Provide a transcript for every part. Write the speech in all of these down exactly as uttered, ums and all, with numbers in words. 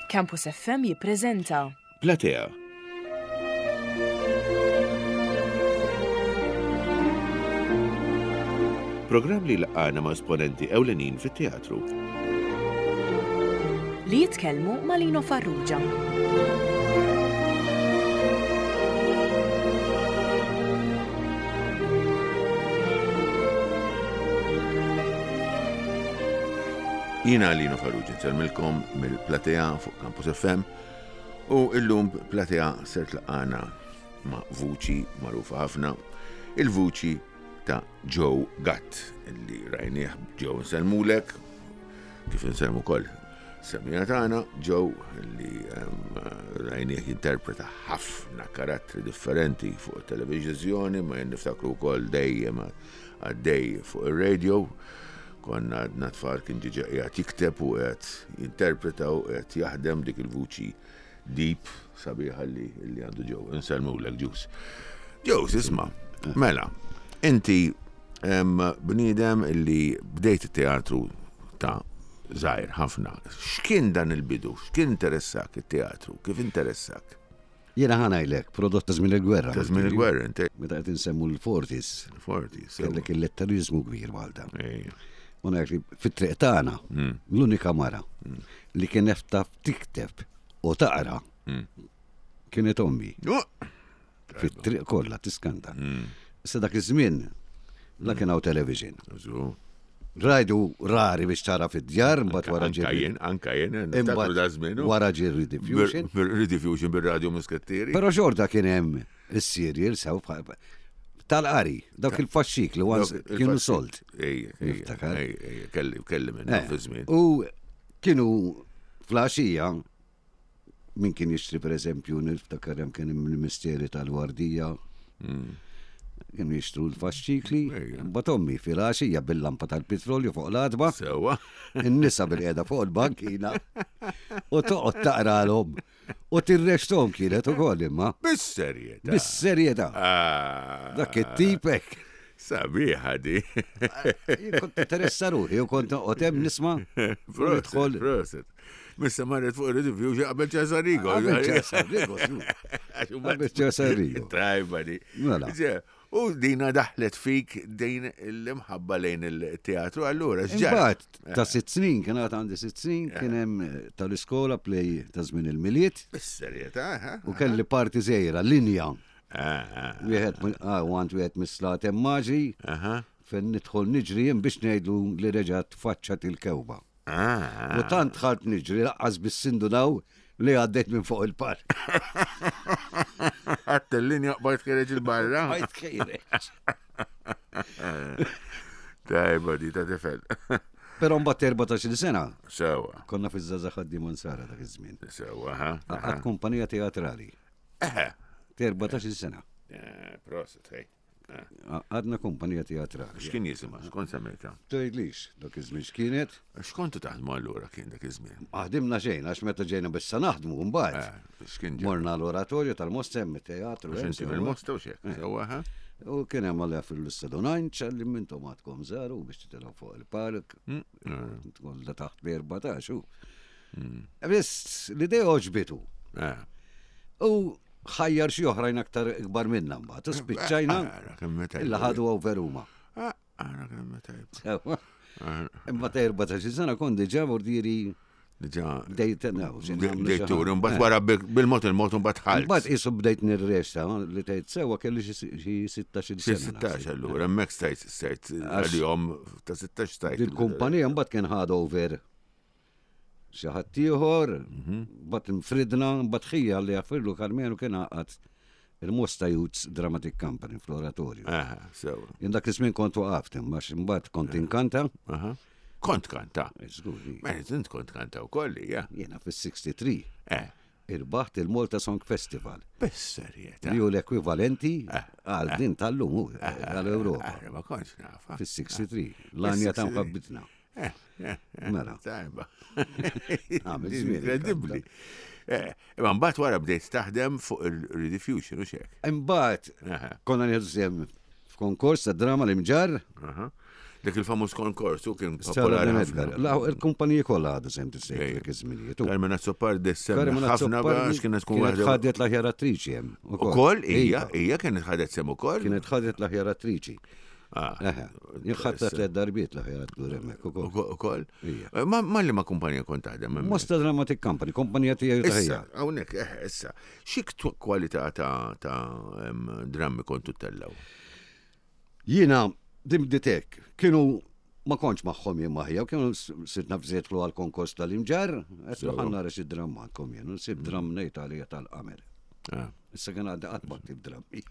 Campus F M jippreżenta Platea. Programm li laqana ma' esponenti ewlenin fit-teatru. Li jitkellmu ma' Lino Farrugia. Jiena Lino Farrugia nsellmilkom mill-Platea fuq Campus F M u illum Platea ser tlaqana ma' vuċi magħrufa ħafna, il-vuċi ta' Joe Gatt, illi rajnieh. Joe, nsellmulek, kif insellmu wkoll semmiegħa tagħna. Joe li em, rajnieh jinterpreta ħafna karattri differenti fuq it-televizjoni, ma jien niftakru wkoll dejjem għaddej fuq ir-radio. Konna għadna tfal, kien diġà qiegħed jikteb u qiegħed jinterpreta u qiegħed jaħdem dik il-vuċi deep sabiħa li li għandu Joe. Insellmulek, Ġus. Joe, isma', mela, inti em, bniedem illi bdejt it-teatru ta' żgħir ħafna. X'kien dan il-bidu? X'kien interessak it-teatru? Kif interessak? Jiena ħa ngħidlek, prodott ta' żmien il-gwerra. Ta' żmien il-gwerra, inti. Meta qed insemmu l-forties, Forti, sewa. kellek il-letterizmu kbir Malta. Ejja. U ngħid li fit-triq tagħna Mm. l-unika mara li kienet taf tikteb u taqra Mm. kienet ommi. Oh! Fit-triq kollha, tiskanta. Mm. Issa dak iż-żmien la kien hawn television. Żu. Rajdu rari biex tara fid-djar, mbagħad wara Anka ġie jien, anka jien, niftakru Imbagħad da żmien. wara ġie Rediffusion. Rediffusion bir-radio Muskattieri. Però xorta kien hemm is-serial sew bħal- tal-qari, dawk il-faxxikli once kienu sold. Ejja, ejja, Niftakar. ejja, ejja, kelli, kelli minn Eh, fi żmien. U kienu filgħaxija min kien jixtri, per eżempju, niftakar hemm kien hemm il-misteri tal-wardija. Kienu jixtru l-faxxikli, Ejja. mbagħad ommi filgħaxija bil-lampa tal-petrolju fuq l-għatba, Sewa. in-nisa bil-qiegħda fuq il-bankina u toqgħod taqralhom. U tirreċtahom kienet ukoll imma. Bis-serjetà. Bis-serjetà. Ah, Dak it-tipek. Sabiħa di. Jien kont interessa ruħi u kont noqgħod hemm nisma' u Proset, nidħol. proset. Missa marret fuq il-Rediffusion qabel Ċesar Rigo. Qabel Ċesar Rigo, żgur. Qabel Ċesar Rigo. Tajba di. Mela. Ġe, u dina daħlet fik din l-imħabba lejn il-teatru, allura, x'ġara? Imbagħad ta' sitt snin, kien għad għandi sitt snin, kien hemm tal-iskola play ta' żmien il-Milied Bis-serjetà, ha? u kelli parti żgħira, linja. Ah, ah, Wieħed mi- ah, u għand wieħed mis-slaten maġi aha. fejn nidħol niġri jien biex ngħidu li reġgħet tfaċċat il-kewba. Ah, U tant dħalt niġri lanqas biss indunaw li għaddejt minn fuq il-park. Għadt il-linja, bajt ħiereġ 'il barra. Bajt ħiereġ. Tajba di ta' tifel. Però mbagħad erbatax-il sena Sewa, konna fiż-Żgħażagħ Ħaddiema Nsara dak iż-żmien. sewa, ha? Għad kumpanija teatrali. Eħe. Erbatax-il sena. Eh, Proset, hej. Għadna kumpanija teatrali. X'kien jisimha? X'kont semmejta? Tgħidlix, dak iż-żmien x'kienet? X'kontu taħdmu allura kien dak iż-żmien? Ħdimna xejn, għax meta ġejna bissa naħdmu mbagħad. Eh, X'kien ġej? Morna l-oratorju tal-Mosta, hemm teatru. Għax hemm inti sewa. mill-Mosta u xek. Sewa, ha? U kien hemm għalja fil-Istadonajn li mintom għadkom żaru biex titilgħu fuq il-park. Tkun da taħt b-erbatax u. Biss l-idea għoġbitu. Eh. U ħajjar xi oħrajn aktar ikbar minna mbagħad. U spiċċajna Ara kemm meta. illa ħadu over huma. Ara kemm meta. Sewa. Imma ta' erbatax-il sena kont diġà vordiri Diġà. bdejt naw. Bdejt tur, mbagħad wara bil-mod il-mod mbagħad ħalt. Mbagħad qisu bdejt nirreċta li tgħid sewa kelli xi xi sittax-il Xi sena. sittax allura, hemmhekk stajt stajt għalihom ta' sittax stajt. Il-kumpanija mbagħad kien ħad over xi ħadd ieħor, mbagħad infridna, mbagħad ħija li jaffirlu Karmenu kien għaqad il-Mosta Youth Dramatic Company fl-oratorju. Aha, sewa. Jien dak iż-żmien kont waqaft, imma mbagħad kont inkanta. Aha. Kont kanta. Żgur, Mela, int kont kanta wkoll, ja. jiena fis-sittiħa u tlieta Eh, irbaħt il-Malta Song Festival bis-serjetà. li hu l-ekwivalenti għal din tal-lum hu, għal-Ewropa. Ara, ma kontx nafa. Fis-sittiħa u tlieta, l-għanja ta' mħabbitna. Eh, eh, eh, Mela. Tajba. Għamil żmien, Inkredibbli. Eh, imma mbagħad wara bdejt taħdem fuq il-Rediffusion u xek. Imbagħad Aha. konna nieħdu sehem f'konkors ta' drama l-Imġarr. Aha. Dik il-famuż konkors u kien Sarah popolari Dan ħafna. Edgar. La, il-kumpaniji kollha għadu sem tistejt Ejja. dak iż-żminijiet. U Carmen Azzopardi semmi Carmen ħafna Azzopardi għax kienet tkun kienet waħda. ħadet l-aħjar attriċi hemm. Ukoll hija, Iva. hija kienet ħadet sem ukoll. Kienet ħadet l-aħjar attriċi. Ah, Eħe, jien ħadta tliet darbiet l-aħjar attur hemmhekk ukoll. ukoll- Ukoll. Ija. Eh, Ma ma li ma kumpanija kont taħdem hemmhekk? Mosta Dramatic Company, kompanija tiegħi Issa, taħija. hawnhekk, eh, issa, xi ktu- kwalità ta' ta' em, drammi kontu tellaw? Jiena din bdiet hekk, kienu ma kontx magħhom jien maħja, u kienu s- sirt naf żiedlu għal konkors tal-imġar, qed Sewa. ħa nara xi dramma għandkom jien, u nsib dramm ngħid għalija tal-qamer. Ah, Issa kien għaddi qatt ma ktib drammi.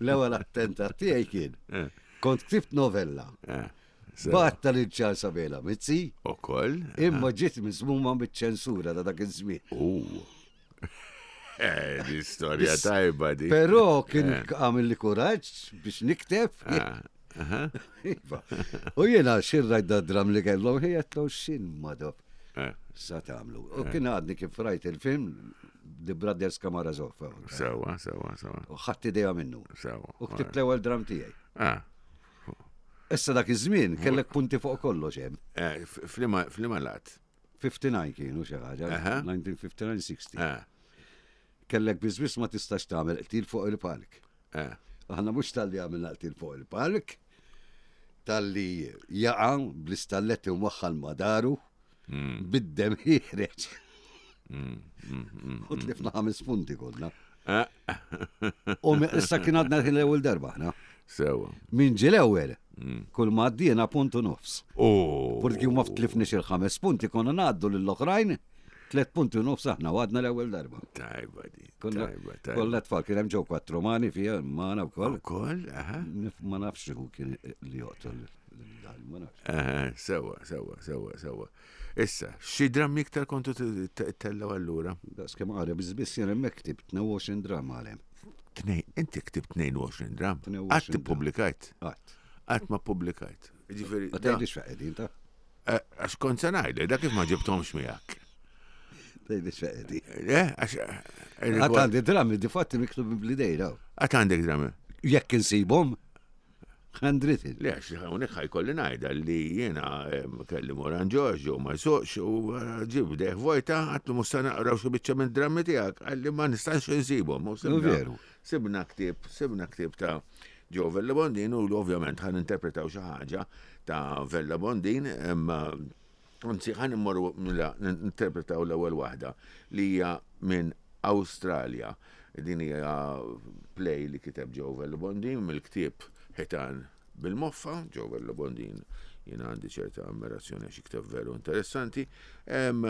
L-ewwel attentat tiegħi kien. Eh. Kont ktibt novella. eh, sewa. Batta lil Charles Abela Mizzi, Ukoll? imma ġiet miżmuma biċ-ċensura ta' dak iż-żmien. U. Eh, di storja tajba di. Però kien għamil li kuraġġ biex nikteb. Ah, aha, Iva. U jiena xirrajt da dram li kellhom ħijetlu xin madob. eh, Sa tagħmlu. U kien għadni kif rajt il-film The Brothers Karamazov. Sewa, sewa, sewa. U ħadd idea minnu. Sewa. U ktibt l-ewwel dram tiegħi. Ah, Issa dak iż-żmien kellek punti fuq kollox hemm. eh, f- Flima flima lat. ħamsa u ħamsin kienu xi ħaġa, Aha. elf disa' mija u ħamsa u ħamsin sittin. Eh, Kellek biżbiss ma tistax tagħmel qtil fuq il-palk. eh, Aħna mhux talli għamilna qtil fuq il-palk, talli jaqa' bl-istalletti u maħħal madaru, Mm. bid-dem ħiereġ. U tlifna ħames punti konna. eh, U mi- issa kien għadna l-ewwel darba aħna. Sewa. Min ġie l-ewwel, kull ma għaddina punt u nofs. U. Purki ma tlifniex il-ħames punti konna ngħaddu lill-oħrajn tliet punti u nofs aħna u għadna l-ewwel darba. Tajba di. Kollha Tajba, tajba. kollha tfal kien hemm ġew kwatru mani fija magħna wkoll. Ukoll, aha. Nif- Ma nafx hu kien li joqtol lil ma nafx. Eh, Sewa, sewa, sewa, sewa. Issa, xi drammi iktar kontu tellaw allura? Daqs kemm qara biss jien hemmhekk ktibt tnejn u għoxrin drama għalhem. Tnej, inti ktibt tnejn u għoxrin dram. tnejn u għoxrin Qatt dram. ippubblikajt. Qatt. Qatt ma ppubblikajt. Ġifieri, Ma da- tgħidlix fejn qegħdin ta' eh, għax kont se ngħidlek, da kif ma ġibthomx miegħek. tgħidlix fejn qegħdin. Eh, għax eh, Qatt għandi drammi di fatti miktub bl-idej daw. Qatt għandek drammi. Jekk insibhom handwritten. Le, għax hawnhekk ħajkolli ngħidha li jiena em, kelli Moran Giorgio ma jsuqx u eh, ġib deħ vojta għatlu musta naqraw xi biċċa minn drammi tiegħek għalli ma nistax insibhom. U sibna- veru. Sibna ktieb, sibna ktieb ta' Joe Vella Bondin u ovvjament ħan interpretaw xi ħaġa ta' Vella Bondin imma anzi ħan immorru mela interpretaw l-ewwel waħda li hija minn Awstralja. Din hija play li kiteb Joe Vella Bondin mill-ktieb Ħitan bil-Moffa, Joe Vella Bondin jiena għandi ċerta ammirazzjoni għax jikteb veru interessanti. Em,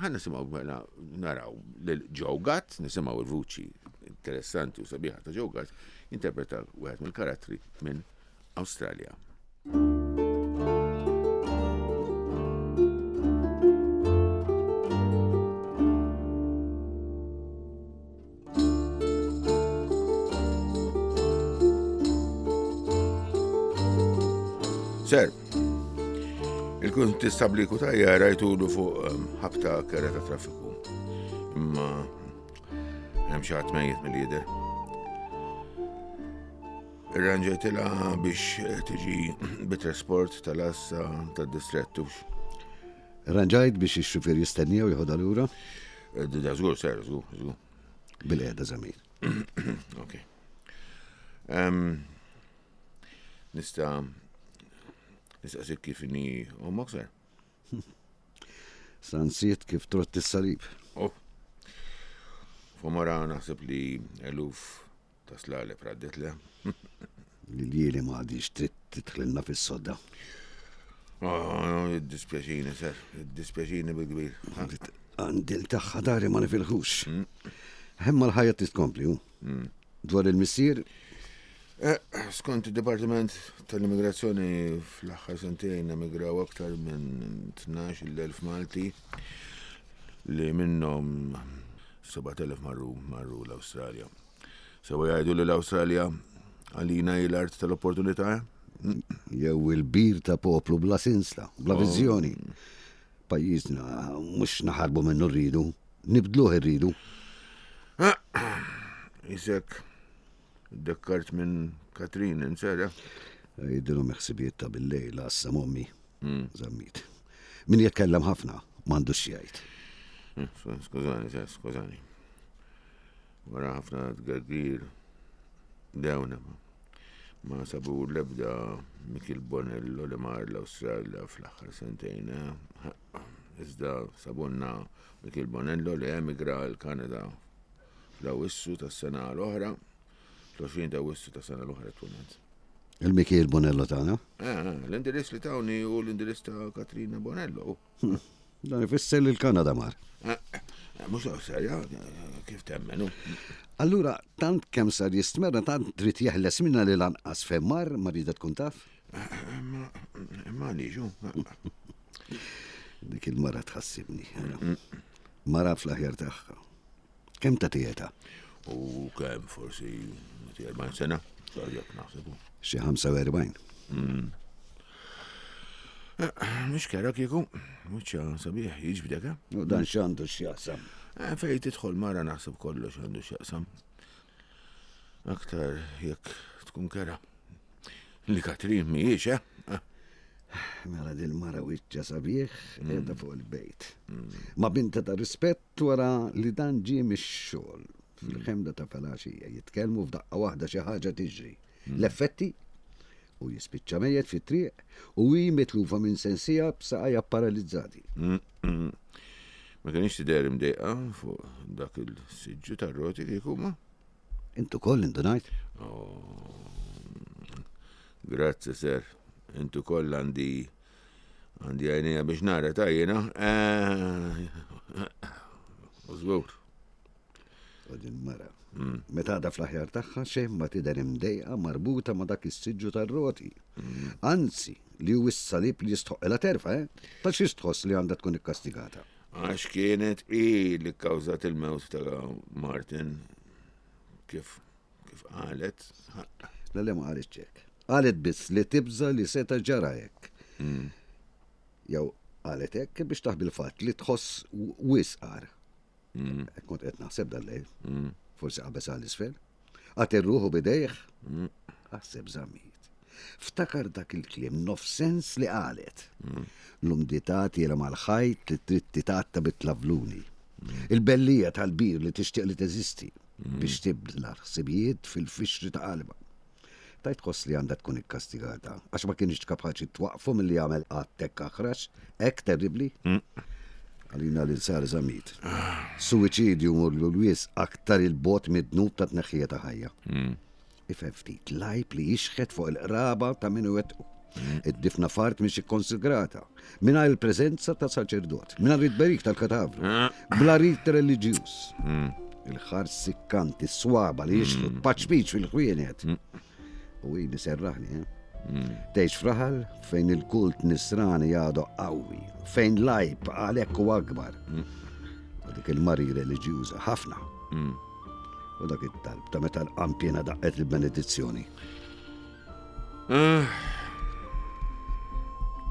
Ħa nisimgħu mela naraw lil Joe Gatt, nisimgħu il-vuċi interessanti u sabiħa ta' Joe Gatt, interpreta wieħed mill-karattri minn Awstralja. Ser, il-kuntistabli Kutajja rajtulu fuq em, ħabta kera ta' traffiku. Imma hemm xi ħadd mejjet mill-lider. Irranġajtilha biex eh, tiġi bit-trasport tal-assa tad-distrettu. Ranġajt biex ix-xufier jistennija u jħodha lura Eh, Da żgur, ser, żgur, żgur. bil-qiegħda żamir. Ok. Em, Nista' nistaqsik kif inhi ommok ser? Sansiet kif trott is-salib. Oh. Fomora naħseb li eluf ta' slaleb raddet le. Li lili ma għadix trid tidħlilna fis-sodda. Oh, dispjaċini, ser, dispjaċini bil-kbir. Għandi l-taħħa dari ma nifilħux. Hemma l-ħajja titkompli, hu. Dwar il-missier, Eh, Skont il-Dipartiment tal-Immigrazzjoni fl-aħħar sentejn emigraw aktar minn tnax-il elf Malti li minnhom sebat elef marru marru l-Awstralja. Sewa jgħidu li l-Awstralja għalina hi l-art tal-opportunità? jew il-bir ta' poplu bla sinsla, bla viżjoni. Pajjiżna mhux naħarbu minnu rridu, nibdluh irridu. Isek, dekkart minn Katrin, insera. Jidilhom ħsibijiet ta' bil-lejl għassa mommi. Zammit. Min jitkellem ħafna, m'għandux jgħid. Eh, Skużani, sir, skużani. Wara ħafna tgergir dewna ma. Ma sabu l-ebda Mikiel Bonello li mar l-Awstralja fl-aħħar sentejn. eh. Iżda sabunna Mikiel Bonello li emigra l-Kanada fl-Awissu tas-sena l-oħra, fl-għoxrin ta' Awissu tas-sena l-oħra tweled. Il-Mikiel Bonello tagħna. Eh, L-indirizz li tawni u l-indirizz ta' Katrina Bonello. Dan ifisser li l-Kanada mar. Eh, eh, Mhux l-Awstralja, eh, kif temmenu. Allura, tant kemm sar jistmerra, tant trid jeħles minna li lanqas fejn mar, ma rida tkun taf. Ma, ma liġu. Dik il-mara tħassibni. ara. Mara fl-aħjar tagħha. Kemm ta' tieta? U kemm forsi erbgħin sena, jekk naħsebu. Xi ħamsa u erbgħin. Mhux kera kieku, wiċċha sabiħ jiġbdek, eh? U dan x'għandu x'jaqsam? Eh, Fej tidħol mara naħseb kollox għandu x'jaqsam. Aktar jekk tkun kera. Li Katrin mhijiex, eh? Eh, Mela dil-mara wiċċha sabiħ qiegħda fuq il-bejt. Ma binta ta' rispett wara li dan ġie mix-xogħol. Fil-ħemda ta' filgħaxija jitkellmu, f'daqqa waħda xi ħaġa tiġri. L-effetti u jispiċċa mejjet fit-triq u hi mitlufa minn sensija b'saqajja paralizzati. mm, mm. Ma kienx tidher imdejqa fuq dak il-siġġu tar-roti kieku ma? Intu koll indunajt? Oh, grazzi, sir. Intu koll għandi għandi għajnija biex nara ta' jena. U żgur. U din mara. Meta għadha fl-aħjar tagħha xejn ma tidher imdejqa marbuta ma' dak is-siġġu tar-roti. Anzi, li hu s-salib li jistħoqilha terfa, eh? Ta' xi tħoss li għandha tkun ikkastigata. Għax kienet i li kkawżat il-mewt ta' Martin, kif kif qalet. La le, ma qalet hekk. Qalet biss li tibża li seta ġara hekk. Jew qalet hekk biex taħbi l-fatt li tħoss wisqar. Hekk kont qed naħseb dal-lejl. Forsi qabeż għal isfel. Qatel ruħu bidejh. Aħseb, Zammit. Ftakar dak il-kliem nofs sens li qalet. L-umdità tiela mal-ħajt li trid titgħatta bit-tlavluni. Il-bellija tal-bir li tixtieq li teżisti biex tibla ħsibijiet fil-fixri ta' qalba. Tajt tħoss li għandha tkun ikkastigata, għax ma kienx kapaċi twaqfu milli jagħmel att hekk aħrax, hekk terribli. Għalina li sar, Zammit. Suwiċidju mur l-wisq aktar 'il bogħod mid-dnub ta' tneħħija ta' ħajja. Ifhem ftit, l-għajb li jixħet fuq il-qraba ta' min wettqu. Id-difna f'art mhix ikkonsagrata, mingħajr il-preżenza ta' saċerdot, mingħajr it-tberik tal-katavru, bla rit reliġjuż. Il-ħars sikkant, is-swaba li jixħtu paċpiċ fil-ħwienet. U ili serraħni, eh? Tgħix f'raħal fejn il-kult nisrani għadu qawwi, fejn l-għajb għalhekk u akbar. U dik il-mara reliġjuża ħafna. U dak it-talb ta' meta l-qanpiena daqqet il-benedizzjoni. Ah.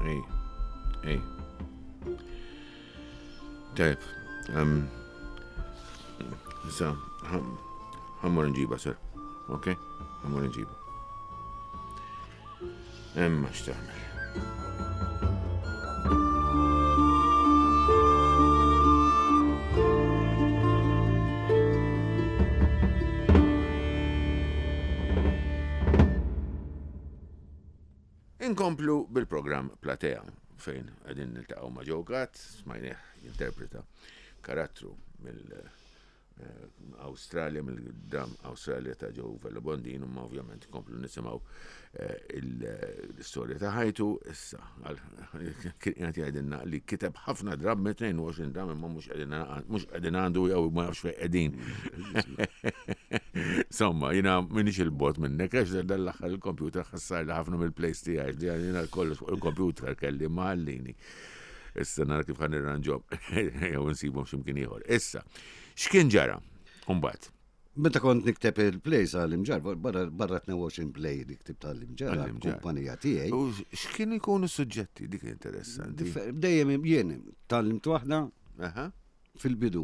Ej, ej. Tajb, um, issa, ħa mmur nġibha, sir. Ok? Ħa mmur nġibha. Imma x'tagħmel. Inkomplu bil-programm Platea fejn qegħdin niltaqgħu ma' Joe Gatt, smajnieh jinterpreta karattru mill eh, Australia, mill-dram Australia ta' Joe Vella Bondin, ma ovvjament komplu nisimgħu eh, l-istorja ta' ħajtu, issa, kien qed jgħidilna li kiteb ħafna dram, tnejn u għoxrin dram, imma mhux qegħdin mhux qegħdin għandu jew ma nafx fejn qegħdin. Insomma, jiena minix 'il bogħod minnek, għax dal-aħħar il-computer ħassar li ħafna mill-plays tiegħi, jiena kollox fuq il-computer kelli maħallini. Issa nara kif ħa nirranġahom, jew nsibhom x'imkien ieħor. Issa, x'kien ġara? Umbagħad. Meta kont nikteb il-plays għall-Imġarr, barra barra tnejn u għoxrin play li ktibt għall-Imġarr, Għall-Imġarr. kumpanija tiegħi. U x'kienu jkunu suġġetti, dik interessanti. Differ- Dejjem jien tgħallimt waħda Aha. fil-bidu.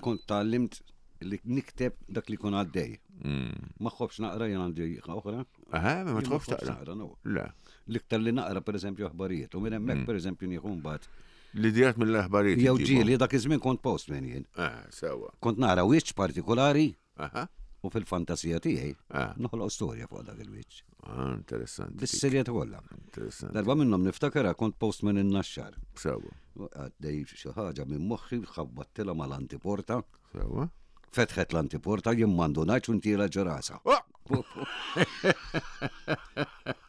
Kont tgħallimt li nikteb dak li kun għaddej. Mm. Ma nħobbx naqra, jien għandi oħra, Aha, ma Jien tħobbx nħobb taqra. naqra, no. Le. L-iktar li naqra pereżempju aħbarijiet, u minn Mm. hemmhekk pereżempju nieħu mbagħad. L-idejat mill-aħbarijiet. Jew iġibhom. ġieli dak iż-żmien kont postman jien. Eh, sewa. Kont nara wiċċ partikolari Aha. u fil-fantasija tiegħi Ah. noħloq storja fuq dak il-wiċċ. Ah, interessanti. Bis-serjetà kollha. Interessanti. Darba minnhom niftakarha kont postman in-Naxxar. Sewa. Għaddej xi ħaġa minn moħħi ħabbattilha mal-antiporta, Sewa. fetħet l-antiporta jien m'għandunajx u ntira ġo rasha. Oh!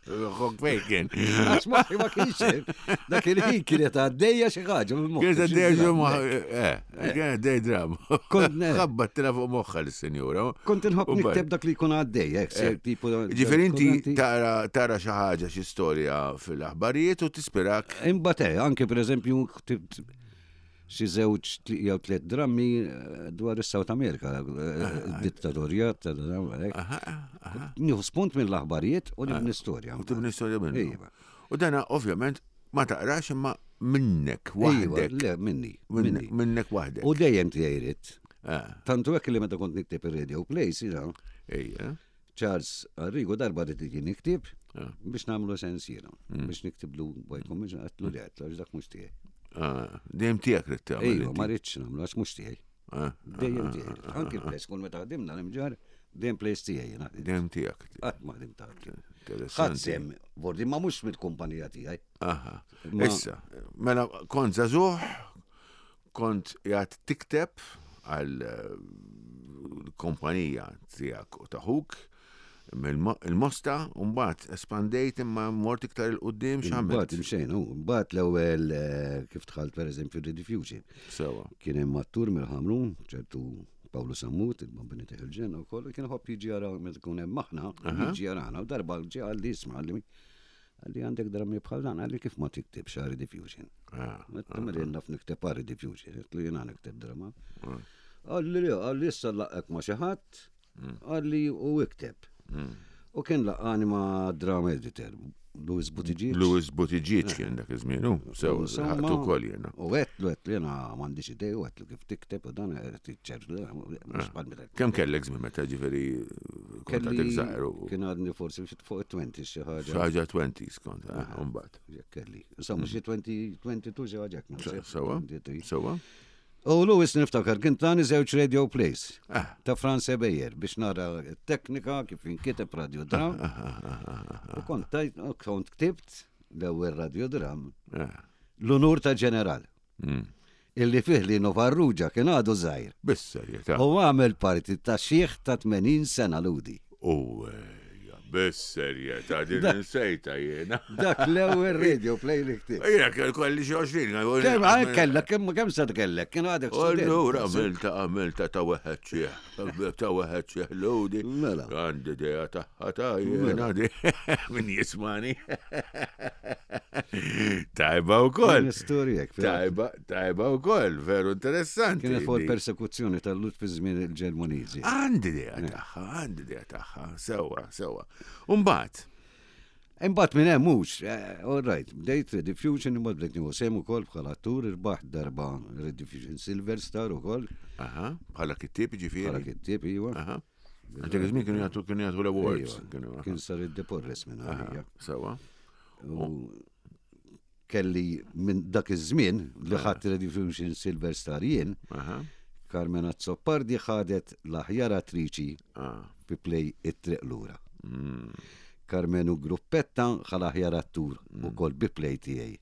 Xok fejn kien. Għax moħħi ma kienx hemm. Dak il-ħin kienet għaddejja xi ħaġa minn moħħi. Kienet għaddejja ġo moħħa. Eh, kienet għaddejja dram. Kont ne. Ħabbattila fuq moħħa l-senjura. Kont inħobb U baj. nikteb dak li jkun għaddej, hekk, se tipo. Ġifieri inti tara tara xi ħaġa xi storja fil-aħbarijiet u tispirak. Imbagħad eh, anke pereżempju ktibt xi żewġ tli- jew tliet drammi eh, dwar is-South America, eh, dittatorjat, ta' dan, hekk. Nieħu spunt mill-aħbarijiet u nibni storja. U tibni storja minnu. Iva. U dana ovvjament ma taqrax imma minnek Iva, waħdek. le, minni, Minnek minni. minnek waħdek. U dejjem tiegħi ridt. Eh, Tantu hekk li meta kont nikteb ir-radio plays, jiena, Ejja. Charles Arrigo darba rrid jiġi niktib Ah. biex nagħmlu sens jiena, biex niktiblu by commission għatlu li għatlu għax dak mhux tiegħi. Ah, Dejjem tiegħek rid tagħmel. Ejwa, inti. ma rridx nagħmlu għax mhux tiegħi. Ah, Dejjem tiegħi. Anki l-place kull meta ħdimna l-imġar, dejjem place tiegħi jiena. Dejjem tiegħek. Qatt ma ħdimt ta' Ħadd Interessanti. sem, vordi ma mhux mill-kumpanija tiegħi. Aha. Ma- Issa, mela kont żagħżugħ, kont jgħat tikteb għal eh, kompanija tiegħek u taħuk mill-Mosta u mbagħad espandejt imma mort iktar 'il quddiem Mbagħad x'għamilt. imxejn, u mbagħad l-ewwel eh, kif dħalt pereżempju Rediffusion. Sewa. Kien hemm attur mill-Ħamrun, ċertu Pawlu Sammut, il-Bambini Teħil Ġenna u kollu, kien ħobb jiġi jara meta kun hemm aħna, jiġi jarana u darba ġie qalli isma' qalli qalli għandek drammi bħal dan, qalli kif ma tiktibx għal Rediffusion. Ah, Għedt li naf nikteb għal Rediffusion, għedtlu jiena nikteb drama. Qalli li, qalli issa laqqgħek ma' xi ħadd, qalli u ikteb. U kien laqqani ma' drama editor, Louis Buttigieg. Louis Buttigieg kien dak iż-żmien, hu, sewa, Insomma, ħaqtu wkoll jiena. U għedtlu, għedtlu jena m'għandix idea, u għedtlu kif tikteb, u dan ċertu, mhux bħal meta. Kemm kellek żmien meta ġifieri kont għadek żgħir u Kien għadni forsi xi fuq it-twenty xi ħaġa. xi ħaġa twenties kont, eh, u mbagħad. Jekk kelli. Insomma, xi twenty, twenty-two xi ħaġa hekk, naħseb, Sewa, twenty-three. sewa. U Louis niftakar, kien tani żewġ radio plays Ah. ta' Franz Beyer biex nara t-teknika kif inkiteb radiodram. U kont tajt, u kont ktibt l-ewwel radiodram Ah. l-unur ta' ġeneral. Mm. Illi fih Lino Farrugia kien għadu żgħir. Bis-serjetà. U għamel parti ta' xieħ ta' tmenin sena ludi. U ejja, bis-serjetà din insejta jiena. Dak l-ewwel radio play li ktibt. Jiena kell kolli xi għoxrin. Kemm għal kellek, kemm kemm sa kellek, kien għadek student. Allura għamilta għamilta ta' weħed xieħ, ta' weħed xieħ ludi. Mela. Għandi idea tagħha ta' jiena di. Min jismani. Tajba wkoll. Kien storjek. Tajba, tajba wkoll, veru interessanti. Kienet fuq di. persekuzzjoni tal-Lut fi żmien il-Ġermaniżi. Għandi idea tagħha, għandi idea tagħha, sewa, sewa. Umbagħad, Imbagħad minn hemm mhux, eh, all right, bdejt Rediffusion, imbagħad bdejt nieħu sehem ukoll bħala attur, irbaħt darba Rediffusion Silver Star ukoll, aha, bħala kittieb bħala ġifieri. kittieb iva. Aha. Dak iż-żmien kienu jagħtu kienu jagħtu l-awards. Iva, Kienu, aha. Kien sar id-deporres minn għalija. Sewa. U kelli minn dak iż-żmien li ħadd Rediffusion Silver Star jien, Aha. Carmen Azzopardi ħadet l-aħjar attriċi Ah. fi play it-triq lura. Carmenu Gruppetta ħa l-aħjar attur ukoll bi play tiegħi.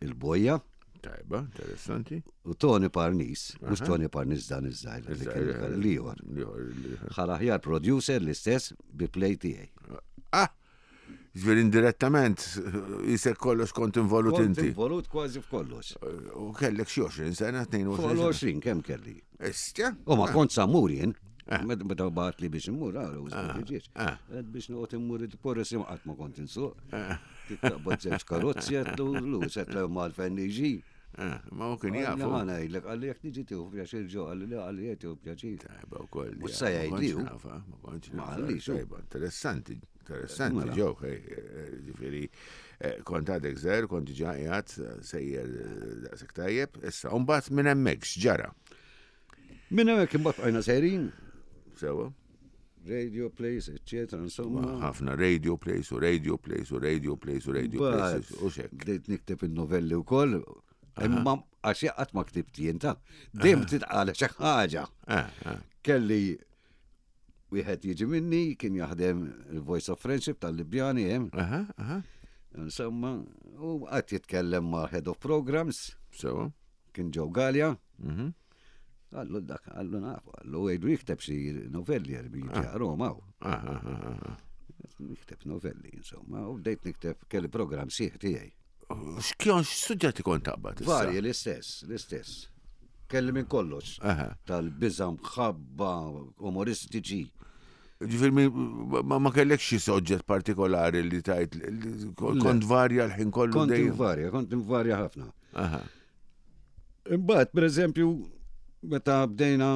Il-Bojja Tajba, interessanti. u Tony Parnis, mhux Tony Parnis dan iż-żgħir li kien l-ieħor. Liħor. Ħa l-aħjar producer l-istess bi play tiegħi. Ah! Ġifieri indirettament, jisek kollox kont involut Kont inti. involut kważi f'kollox. U kellek xi għoxrin sena, Fuq tnejn u għoxrin sena. l-għoxrin kemm kelli. Istja? U ma kont samur jien. Meta meta bagħat li biex immur, għara, u żbieġ. ah. Għed biex noqgħod immur id-porres qatt ma kont insuq. Taqbad żewġ karozzi għedtlu, lu, setlew mal-fejn niġi. Ah, Ma u kien Għalli jafu. ħa ngħidlek, għalli jekk niġi tieħu pjaċir ġo, għalli le, għalli jekk tieħu pjaċir. Tajba u koll. U sa jgħid li hu. Ma kontx Ma nafa. għallix hu. Tajba, interessanti, interessanti, Mela. ġew, ġifieri, eh, kont għadek żgħir, kont diġà qiegħed eh, sejjer eh, daqshekk tajjeb, issa, u mbagħad minn hemmhekk x'ġara. Minn hemmhekk imbagħad bqajna sejrin, Sewa? Radio plays, eccetera, insomma. Ħafna radio plays u radio plays u radio plays u radio plays u xek. Bdejt nikteb il-novelli u koll, imma għax qatt ma ktibt jien ta' dejjem titqala xi ħaġa. Eh, eh. Kelli wieħed jiġi minni, kien jaħdem il-Voice of Friendship tal-Libjani hemm. Aha, aha. Insomma, u qatt jitkellem ma' Head of Programs, Sewa. kien Joe Gallia. Mhm. Għallu dak, għallu nafu, għallu għajdu jikteb xi novelli għal jiġi Roma. u. Aha, aha, aha. Nikteb novelli, insomma, u bdejt nikteb kelli program sieħ tiegħi. X'kien x'suġġetti kont taqbad issa? Varji l-istess, l-istess. Kelli minn kollox. Aha. Tal-biża mħabba, umoristiċi. Ġifieri mi- ma ma kellek xi soġġett partikolari li tajt li kont varja l-ħin kollu Kont dejjem. invarja, kont invarja ħafna. Aha. Imbagħad, per eżempju, meta bdejna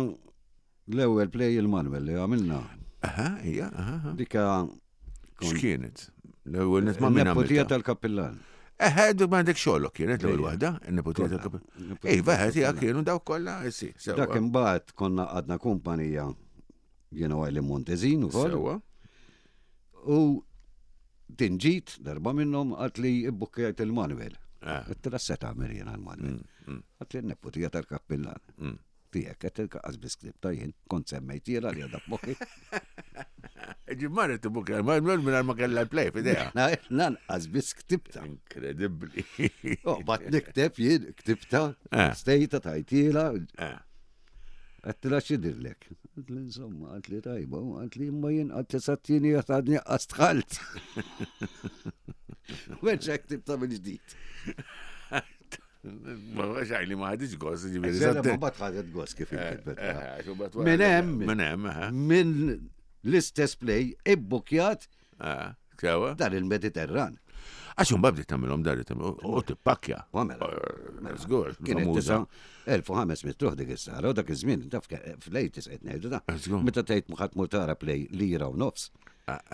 l-ewwel play il-Manuel li għamilna, Aha, ija, aha. aha. dika kont- X'kienet? L-ewwel net ma minn Nepotija għamiltha. tal-kappillan. Eħe, dik ma għandek xogħlok kienet l-ewwel Ejja. waħda, in-nepotija Kollha. tal-kappillan. Nepotija Iva, eħe, tiegħek tal-kappillan. kienu dawk kollha, eh, sì, sewwa. Dak imbagħad konna għadna kumpanija jiena u Eileen Montezin ukoll. Sewwa. U din ġiet darba minnhom għat li ibbukkjajt il-Manuel. Ah. Għedt se tagħmel jiena l-Manuel. Għat li n-nepotija tal-kappillan. Mm. Tiegħek qed il-qas biskript jien kont semmejtiela li għadha f'moħħi. Ġi marret tibbukja l-Manuel mingħajr ma kellha l-play f'idejha. Lanqas biss ktibta. Inkredibbli. Oh, bat nikteb jien ktibta, Eh. stejta tajtiela, Eh. għattila xidirlek. Għat li insomma, għat li tajba, għat li imma jien għat sattini għat għadni għastħalt. Werġa ktibta minn ġdid. Ma xaj li ma ħadix gost, ġifieri. Sena satte- ma bat ħadet gost kif inkitbet. Eh, eh, xu bat wara- Minn hemm. Minn hemm, aha. Minn l-istess play ibbukjat Ah, Sewa. dan il-Mediterran. Għax un bdiet tagħmilhom dar u tippakkja. U għamela. Eh, Żgur, Kienet famuża. tisa elf u ħames mitt ruħ dik is-sala u dak iż-żmien taf ke- fl-eighties qed ngħidu da. Żgur. Meta tgħid ħadd mur tara play lira u nofs.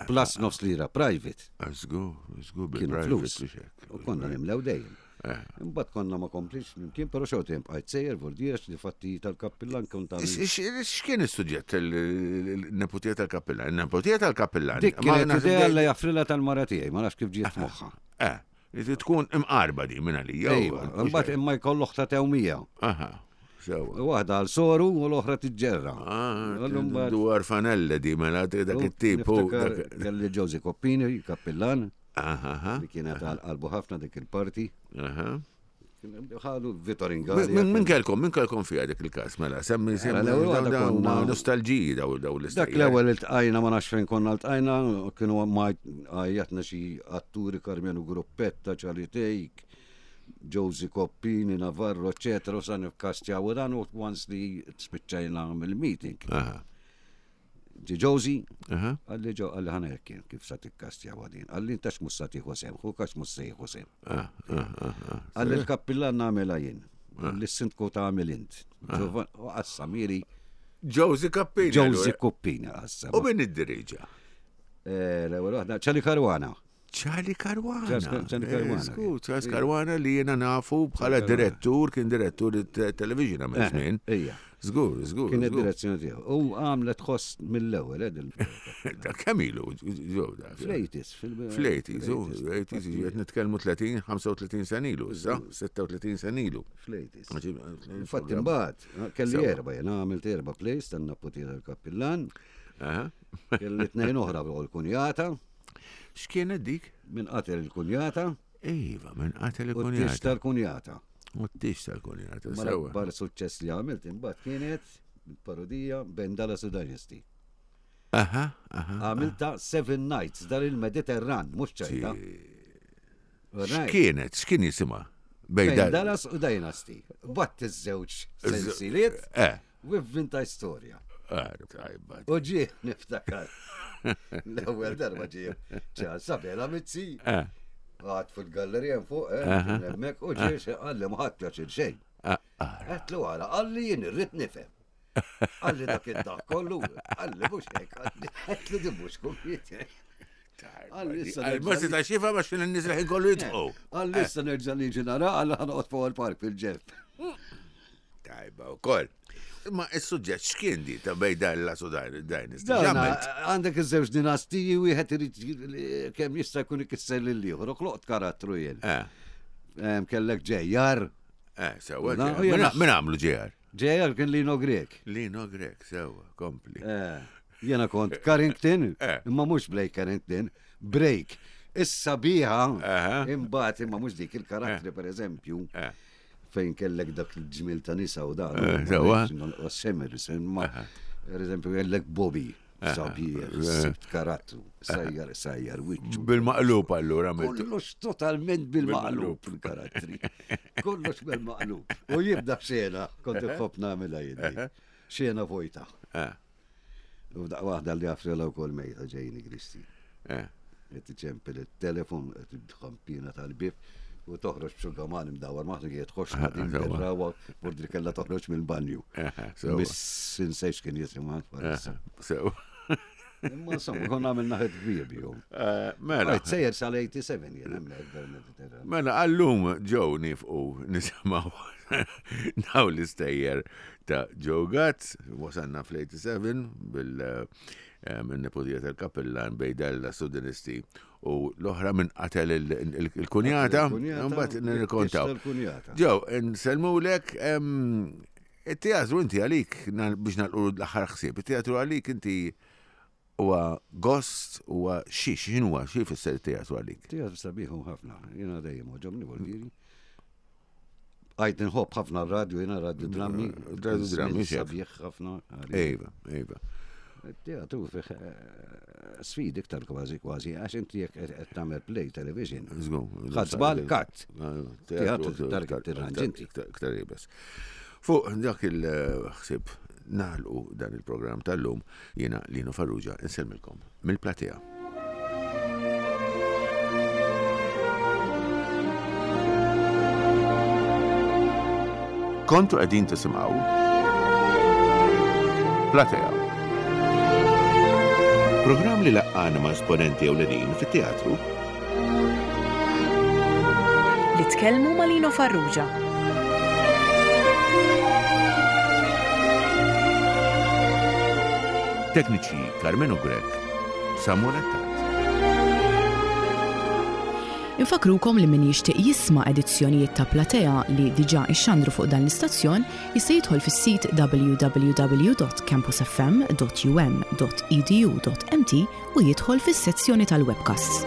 Plus nofs lira private. Żgur, żgur Kienu bil-private flus. u xek. U konna nimlew dejjem. Eh. Imbagħad konna ma komplix nimkien, però xorta jien bqajt sejjer vordiex li fatti tal-kappillan kont X- għamil. x- X'kien is-suġġett il-nepotija tal-kappillan? Il-nepotija tal-kappillan. Dik Ma kienet naħseb idea dej- li jaffrila tal-mara tiegħi, ma nafx kif ġiet f'moħħha. Eh, li tkun imqarba di minn għalija. Ejwa, imbagħad imma jkollu oħta tewmija. Aha, sewa. Waħda għal soru u l-oħra tiġġerra. Ah, Allum mbagħad- Dwar fanella di mela dak it-tip. u Niftakar dak- Kelli Josie Coppini, kappillan, Aha, aha, li kienet għal qalbu ħafna dik il-parti. aha. Ħalu Vittor Ingalli. Min min kelkom, min kelkom fiha dik il-każ, mela, semmi semmi l-ewwel daw- waħda daw huma konna- nostalġiji daw daw l-istejjer. Dak l-ewwel iltqajna ma nafx fejn konna ltqajna, kienu ma għajjatna xi atturi Karmenu Gruppetta, Charlie Take, Josie Coppini, Navarro, eccetera, u sa nikkastjaw u dan u once li spiċċajna mill-meeting. Aha, Ġi Josie, aha. għalli ġo għalli ħana jekk kif sa tikkastjaw għadin. Għalli intax mhux sa tieħu sem, hu kax mhux se jieħu sem. Ah, ah, ah, ah. Għalli l-kappillan nagħmilha jien. Għalli s-sindku tagħmel int. Giovanni- U qassamili Josie Cappini. Josie allura. Coppini qassam. U min id-diriġa? Eh, L-ewwel waħda Ċali Karwana. Charlie Caruana. Charles- Charlie Caruana. Eh, Sku, Charles Caruana li jena nafu bħala direttur, kien direttur television għamil Eh, żmien. Ija. Żgur, żgur. Kienet żgur. direzzjoni tiegħu. U għamlet ħoss mill-ewwel eh, dil- Da kemm ilu? ġew da? Fl-eighties. Fl-eighties, u eighties, qed nitkellmu tletin, ħamsa u tletin sen ilu, issa, sitta u tletin sen ilu. Fl-eighties. Infatti imbagħad kelli Sewa. erba' jena għamilt erba' plays tan-napotija tal-kappillan, Aha. kelli tnejn oħra u l-kunjata, X'kienet dik? minn qatel il-kunjata Iva, minn qatel u t-tix il-kunjata. tal-kunjata. U t-tix tal-kunjata, Ma sewa. l-akbar suċċess li għamilt imbagħad kienet parodija Ben Dallas u Dynasty. Aha, aha. Għamilta Seven Nights dar il-Mediterran, mhux ċajta. Right. X'kienet? X'kien jisimha? Bejn Bejn dal- Dallas u Dynasty. Batt iż-żewġ sensiliet Eh, u vvinta storja. eh, tajba. U ġie niftakar. L-ewwel darba ġie ċar Sabela Mizzi. Eh, Għad fil-gallerija fuq, eh, kien hemmhekk u ġie xi qalli ma ħadd pjaċir xejn. ah, ah. Għedtlu għala, qalli jien irrid nifhem. Qalli dak id-dak kollu, qalli mhux hekk, qalli għedtlu di mhux kumpiet. Qalli issa Għal ma nerġa' seta' xifa biex n-nies l-ħin kollu jitqgħu. Qalli issa nerġa' niġi nara, qalli ħanoqgħod fuq il-park fil-ġenb. Tajba wkoll. Ma is-suġġett x'kien di ta' bejn Dallas u Dynasty? Dawna, X'għamilt? għandek iż-żewġ dinastiji, wieħed irid kemm jista' jkun ikisser lil ieħor, u ħloqt karattru jien. Eh, Em, Kellek J R. eh, sewa. Na, J R. u jena- Min għamlu J R? J R kien Lino Grek. Lino Grek, sewa, kompli. Eh, Jena kont Carrington, Eh. imma mhux Blake Carrington, Break. Issa biha, Aha. imbagħad imma mhux dik il-karattri, per eżempju, Eh. fejn kellek dak il-ġmil ta' nisa u dan. Eh, sewa. Semmer, imma per eżempju kellek Bobby, sabiħ, sibt karattru, sajjar, sajjar, wiċċu. Bil-maqlub allura għamiltu. Kollox totalment bil-maqlub il-karattri. Kollox bil-maqlub. U jibda xena, kont inħobb nagħmilha jien. Xena vojta. Eh, U daqqa waħda li għafrela u kol mejta ġejni Kristi. eh. Qed iċempel il-telefon, qed il-ħampina tal-bib u toħroġ b'xugaman imdawar maħna kienet tħoxna din Sewa. rawa bordri kella toħroġ mill-banju. Eh, sewa. Miss insejx kien jisimha Eh, Sewa. Imma insomma, konna għamilna ħed kbir bihom. Eh, Mela. Għajt sejjer sal-tmienja u sebgħin jien hemmhekk bil-Mediterran. Mela, għallum ġew nifqu nisimgħu daw l-istejjer ta' Joe Gazz, wasanna fl-tmienja u sebgħin bil-nepotija tal-kapellan bejn Dallas u Dynasty u l-oħra minn qatel il- il- il-kunjata, Il-kunjata, mbagħad nirrikontaw. il-kunjata. Joe, nsellmulek, it-teatru inti għalik, na- biex nagħlqu l-aħħar ħsieb, it-teatru għalik inti huwa gost, huwa xi, x'inhuwa, xi jfisser it-teatru għalik? Teatru sabiħu ħafna, jiena dejjem għoġobni vuldiri. Għajt nħobb ħafna radio, jiena radio drammi. Radio drammi, xek. Sabiħ ħafna. Ejva, ejva. Teatru fih eh, sfidi iktar kważi kważi, għax inti jekk qed tagħmel play television. Żgur. Ħadd żball, cut. Teatru iktar tirranġ inti. Iktar iebes. Fuq dak il-ħsieb nagħlqu dan il-programm tal-lum, jiena Lino Farrugia insellmilkom mill-platea. Kontu qegħdin tisimgħu Platea. Programm li laqqana ma' esponenti ewlenin fit-teatru. Li tkellmu ma' Lino Farrugia. Tekniċi Carmenu Grek, Samuel Attard. Infakrukom li min jixtieq jisma' edizzjonijiet ta' Platea li diġà ixxandru fuq dan l-istazzjon jista' jidħol fis-sit w w w punt campusfm punt um punt edu punt m t u jidħol fis-sezzjoni tal-webcasts.